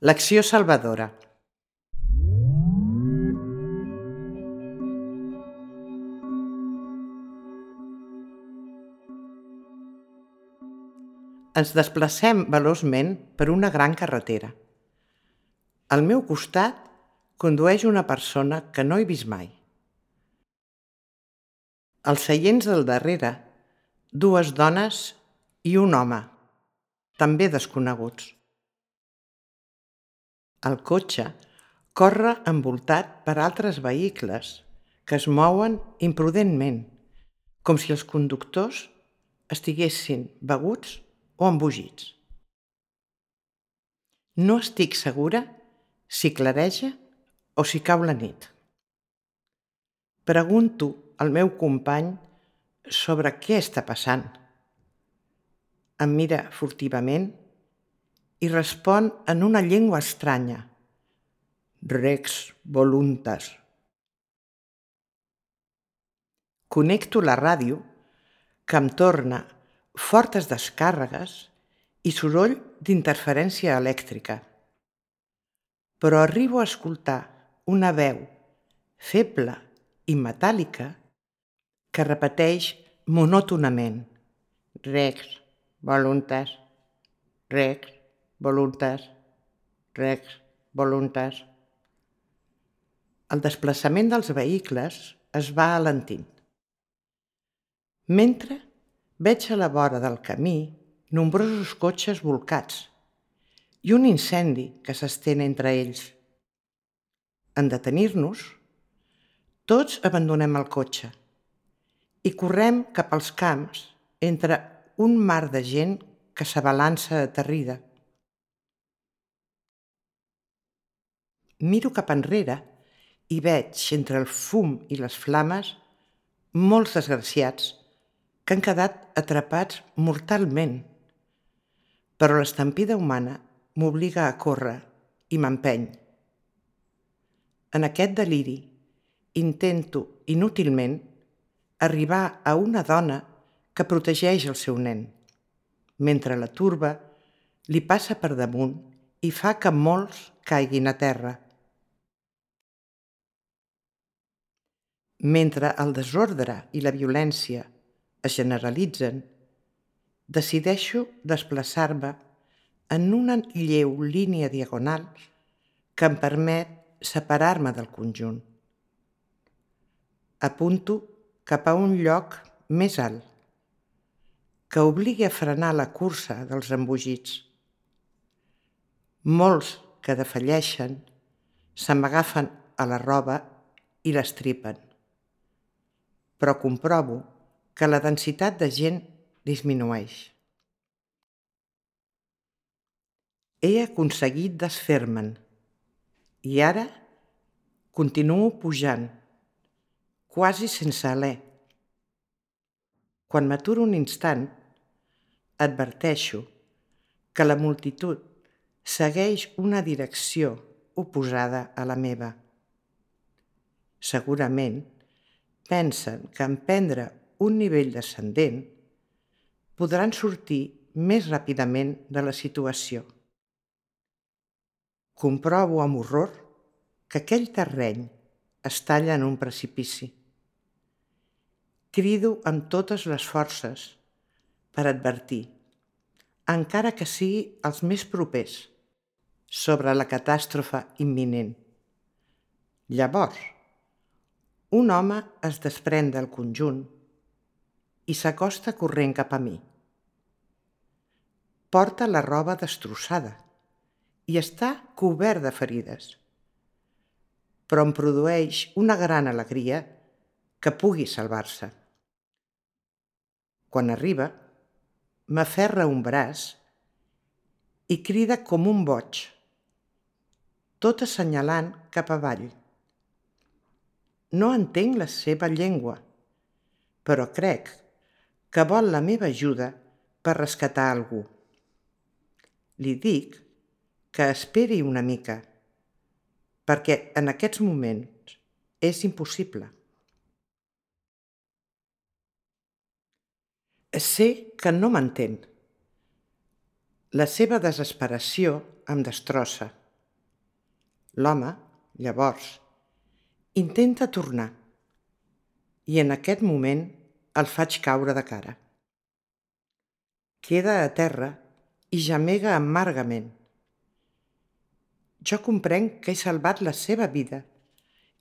L'acció salvadora. Ens desplacem veloçment per una gran carretera. Al meu costat condueix una persona que no he vist mai. Als seients del darrere, dues dones i un home, també desconeguts. El cotxe corre envoltat per altres vehicles que es mouen imprudentment, com si els conductors estiguessin beguts o embogits. No estic segura si clareja o si cau la nit. Pregunto al meu company sobre què està passant. Em mira furtivament i respon en una llengua estranya. Rex voluntas. Connecto la ràdio, que em torna fortes descàrregues i soroll d'interferència elèctrica. Però arribo a escoltar una veu feble i metàl·lica que repeteix monòtonament. Rex voluntas, rex voluntas, rex voluntas. El desplaçament dels vehicles es va alentint. Mentre veig a la vora del camí nombrosos cotxes bolcats i un incendi que s'estén entre ells. En detenir-nos, tots abandonem el cotxe i correm cap als camps entre un mar de gent que s'abalança aterrida. Miro cap enrere i veig, entre el fum i les flames, molts desgraciats que han quedat atrapats mortalment. Però l'estampida humana m'obliga a córrer i m'empeny. En aquest deliri intento inútilment arribar a una dona que protegeix el seu nen, mentre la turba li passa per damunt i fa que molts caiguin a terra. Mentre el desordre i la violència es generalitzen, decideixo desplaçar-me en una lleu línia diagonal que em permet separar-me del conjunt. Apunto cap a un lloc més alt, que obligui a frenar la cursa dels embogits. Molts que defalleixen se m'agafen a la roba i l'estripen, però comprovo que la densitat de gent disminueix. He aconseguit desfer-me'n i ara continuo pujant, quasi sense alè. Quan m'aturo un instant, adverteixo que la multitud segueix una direcció oposada a la meva. Segurament pensen que en prendre un nivell descendent podran sortir més ràpidament de la situació. Comprovo amb horror que aquell terreny es talla en un precipici. Crido amb totes les forces per advertir, encara que sigui els més propers, sobre la catàstrofe imminent. Llavors, un home es desprèn del conjunt i s'acosta corrent cap a mi. Porta la roba destrossada i està cobert de ferides, però em produeix una gran alegria que pugui salvar-se. Quan arriba, m'aferra un braç i crida com un boig, tot assenyalant cap avall. No entenc la seva llengua, però crec que vol la meva ajuda per rescatar algú. Li dic que esperi una mica, perquè en aquests moments és impossible. Sé que no m'entén. La seva desesperació em destrossa. L'home, llavors, intenta tornar i en aquest moment el faig caure de cara. Queda a terra i gemega amargament. Jo comprenc que he salvat la seva vida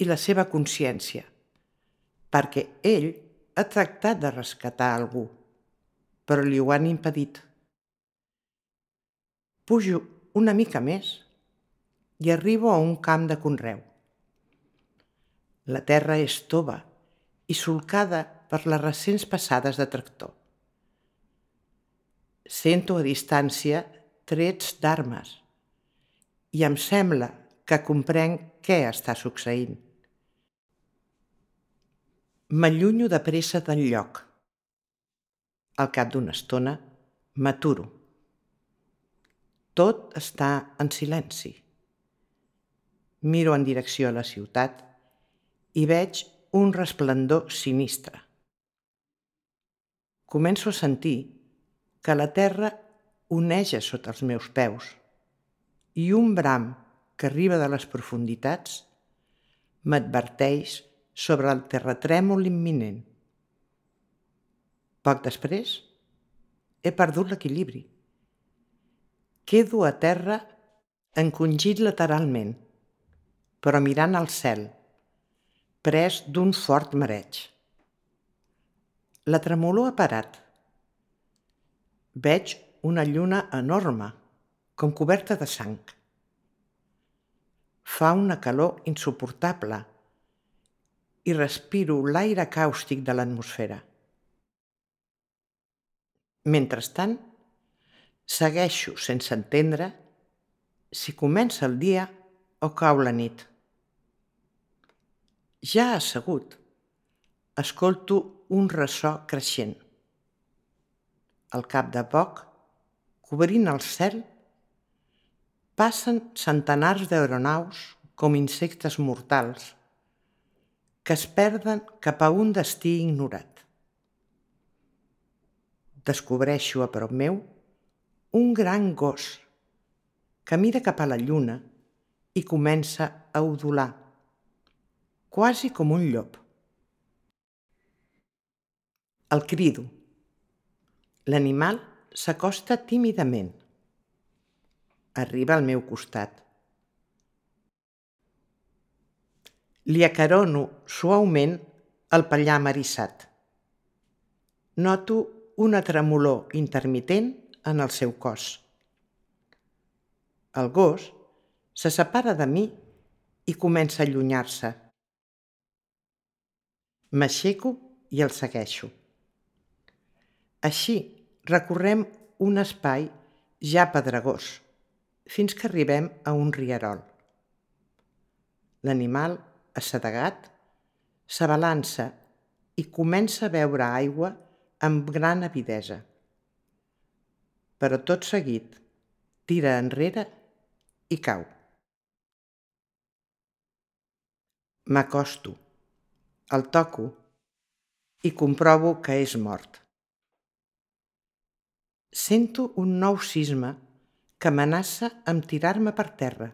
i la seva consciència, perquè ell ha tractat de rescatar algú, però li ho han impedit. Pujo una mica més i arribo a un camp de conreu. La terra és tova i solcada per les recents passades de tractor. Sento a distància trets d'armes i em sembla que comprenc què està succeint. M'allunyo de pressa del lloc. Al cap d'una estona m'aturo. Tot està en silenci. Miro en direcció a la ciutat i veig un resplendor sinistre. Començo a sentir que la terra oneja sota els meus peus i un bram que arriba de les profunditats m'adverteix sobre el terratrèmol imminent. Poc després, he perdut l'equilibri. Quedo a terra encongit lateralment, però mirant al cel, pres d'un fort mareig. La tremolor ha parat. Veig una lluna enorme, com coberta de sang. Fa una calor insuportable i respiro l'aire càustic de l'atmosfera. Mentrestant, segueixo sense entendre si comença el dia o cau la nit. Ja assegut, escolto un ressò creixent. Al cap de poc, cobrint el cel, passen centenars d'aeronaus com insectes mortals que es perden cap a un destí ignorat. Descobreixo a prop meu un gran gos que mira cap a la lluna i comença a udolar, quasi com un llop. El crido. L'animal s'acosta tímidament. Arriba al meu costat. Li acarono suaument el pellam eriçat. Noto una tremolor intermitent en el seu cos. El gos se separa de mi i comença a allunyar-se. M'aixeco i el segueixo. Així recorrem un espai ja pedregós, fins que arribem a un rierol. L'animal, assedegat, s'abalança i comença a beure aigua amb gran avidesa. Però tot seguit tira enrere i cau. M'acosto, el toco i comprovo que és mort. Sento un nou sisme que amenaça amb tirar-me per terra,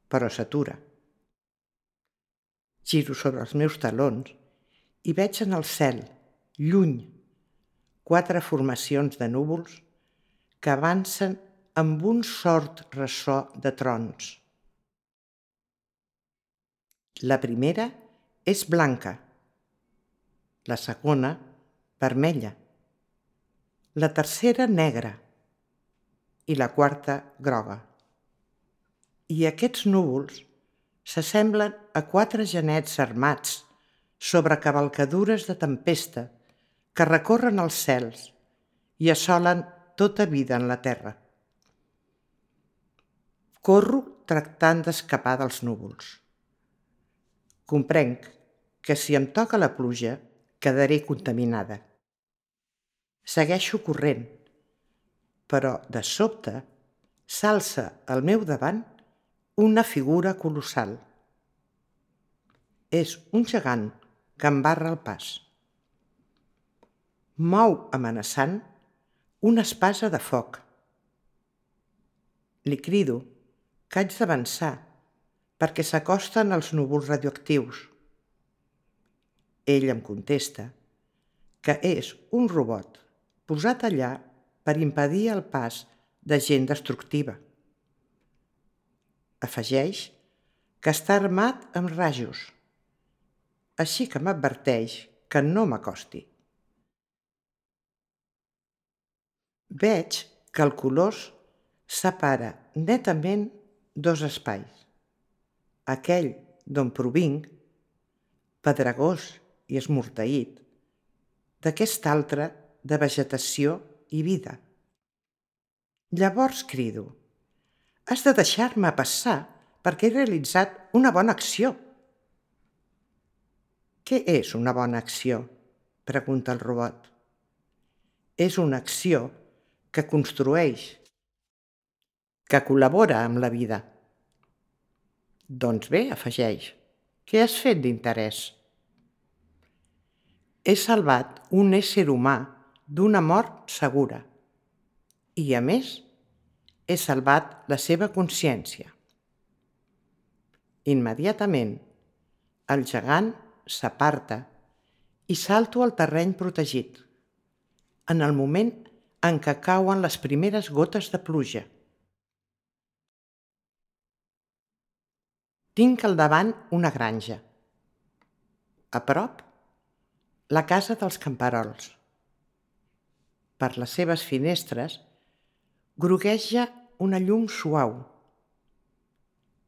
però s'atura. Giro sobre els meus talons i veig en el cel, lluny, 4 formacions de núvols que avancen amb un sord ressò de trons. La primera és blanca, la segona vermella, la tercera negra i la quarta groga. I aquests núvols s'assemblen a 4 genets armats sobre cavalcadures de tempesta que recorren els cels i assolen tota vida en la terra. Corro tractant d'escapar dels núvols. Comprenc que si em toca la pluja quedaré contaminada. Segueixo corrent, però de sobte s'alça al meu davant una figura colossal. És un gegant que em barra el pas. Mou amenaçant una espasa de foc. Li crido que haig d'avançar, perquè s'acosten als núvols radioactius. Ell em contesta que és un robot posat allà per impedir el pas de gent destructiva. Afegeix que està armat amb rajos, així que m'adverteix que no m'acosti. Veig que el colors separa netament dos espais. Aquell d'on provinc, pedregós i esmorteït, d'aquest altre de vegetació i vida. Llavors crido: «Has de deixar-me passar perquè he realitzat una bona acció». «Què és una bona acció?», pregunta el robot. «És una acció que construeix, que col·labora amb la vida». «Doncs bé», afegeix, «què has fet d'interès?» «He salvat un ésser humà d'una mort segura i, a més, he salvat la seva consciència». Immediatament, el gegant s'aparta i salto al terreny protegit, en el moment en què cauen les primeres gotes de pluja. Tinc al davant una granja. A prop, la casa dels camperols. Per les seves finestres grogueja una llum suau.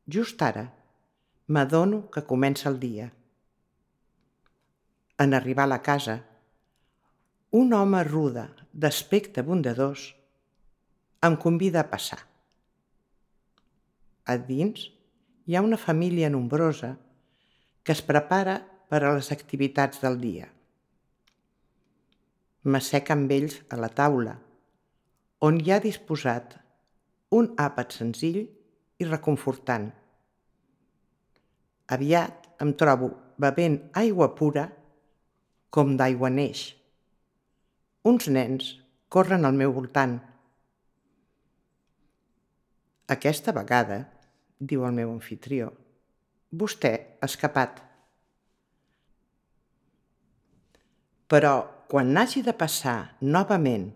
Just ara m'adono que comença el dia. En arribar a la casa, un home rude, d'aspecte bondadós, em convida a passar. A dins hi ha una família nombrosa que es prepara per a les activitats del dia. M'assec amb ells a la taula, on hi ha disposat un àpat senzill i reconfortant. Aviat em trobo bevent aigua pura com d'aigua neix. Uns nens corren al meu voltant. «Aquesta vegada», diu el meu amfitrió, «vostè ha escapat. Però quan n'hagi de passar novament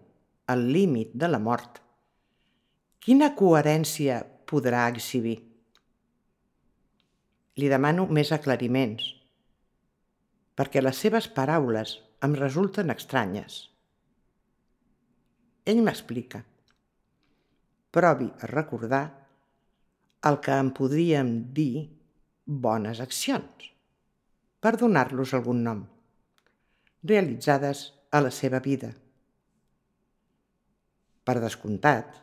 el límit de la mort, quina coherència podrà exhibir?» Li demano més aclariments, perquè les seves paraules em resulten estranyes. Ell m'explica: «Provi a recordar el que en podríem dir bones accions, per donar-los algun nom, realitzades a la seva vida. Per descomptat,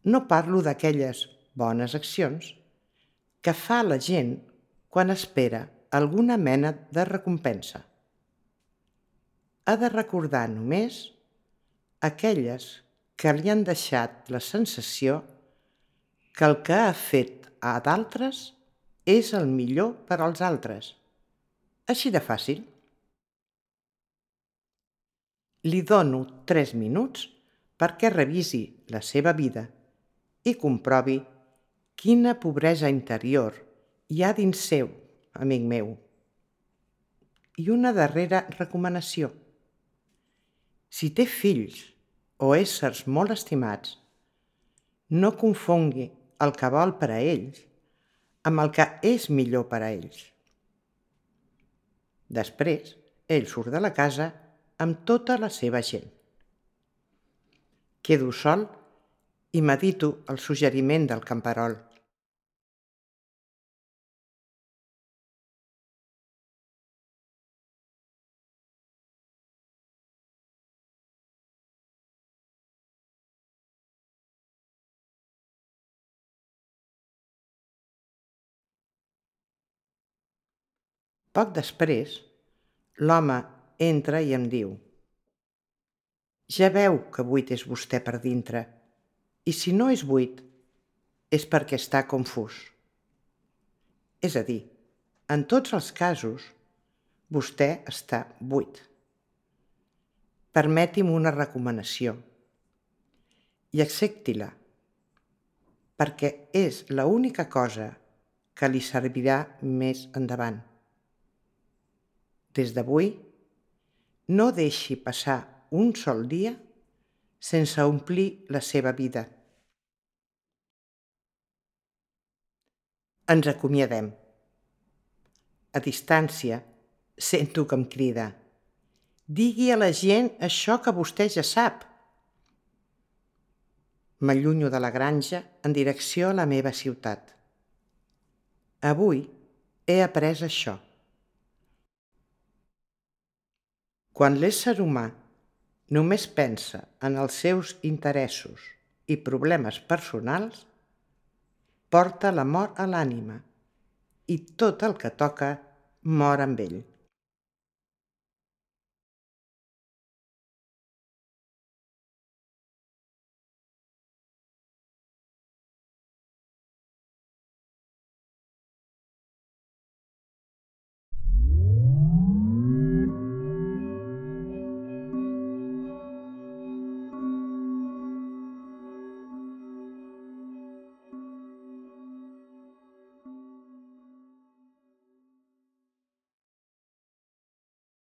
no parlo d'aquelles bones accions que fa la gent quan espera alguna mena de recompensa. Ha de recordar només aquelles que li han deixat la sensació que el que ha fet a d'altres és el millor per als altres. Així de fàcil». Li dono 3 minuts perquè revisi la seva vida i comprovi quina pobresa interior hi ha dins seu, amic meu. I una darrera recomanació: si té fills o éssers molt estimats, no confongui el que vol per a ells amb el que és millor per a ells. Després, ell surt de la casa amb tota la seva gent. Quedo sol i medito el suggeriment del camperol. Poc després, l'home entra i em diu: «Ja veu que buit és vostè per dintre, i si no és buit, és perquè està confús. És a dir, en tots els casos, vostè està buit. Permeti'm una recomanació i accepti-la, perquè és l'única cosa que li servirà més endavant. Des d'avui, no deixi passar un sol dia sense omplir la seva vida. Ens acomiadem. A distància, sento que em crida: digui a la gent això que vostè ja sap. M'allunyo de la granja en direcció a la meva ciutat. Avui he après això. Quan l'ésser humà només pensa en els seus interessos i problemes personals, porta la mort a l'ànima i tot el que toca mor amb ell.